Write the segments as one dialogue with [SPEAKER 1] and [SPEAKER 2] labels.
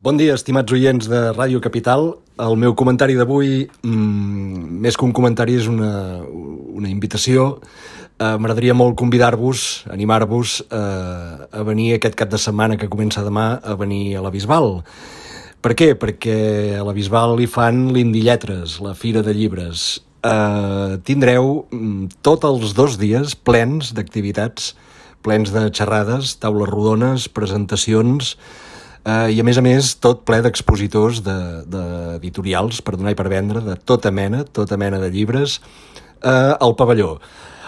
[SPEAKER 1] Bon dia, estimats oients de Ràdio Capital. El meu comentari d'avui, més que un comentari, és una invitació. M'agradaria molt convidar-vos, animar-vos a venir aquest cap de setmana que comença demà, a venir a la Bisbal. Per què? Perquè a la Bisbal hi fan l'Indilletres, la Fira de Llibres. Tindreu tots els 2 dies plens d'activitats, plens de xerrades, taules rodones, presentacions, i a més tot ple d'expositors d'editorials per donar i per vendre de tota mena de llibres al pavelló.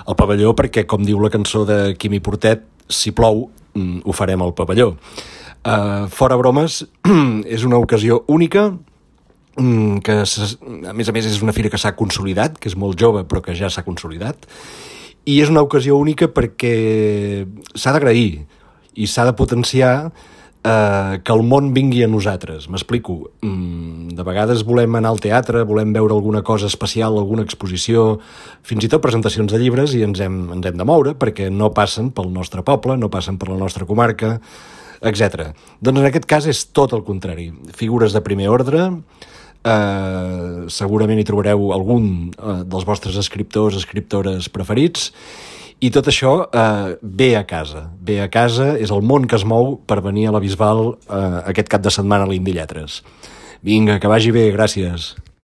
[SPEAKER 1] Al pavelló perquè, com diu la cançó de Quimi Portet, si plou ho farem al pavelló. Fora bromes, és una ocasió única que a més és una fira que s'ha consolidat, que és molt jove però que ja s'ha consolidat, i és una ocasió única perquè s'ha d'agrair i s'ha de potenciar que el món vingui a nosaltres. M'explico. De vegades volem anar al teatre, volem veure alguna cosa especial, alguna exposició, fins i tot presentacions de llibres, i ens hem de moure perquè no passen pel nostre poble, no passen per la nostra comarca, etc. Doncs en aquest cas és tot el contrari. Figures de primer ordre, segurament hi trobareu algun dels vostres escriptores preferits, i tot això ve a casa, és el món que es mou per venir a la Bisbal aquest cap de setmana a l'Indilletres. Vinga, que vagi bé, gràcies.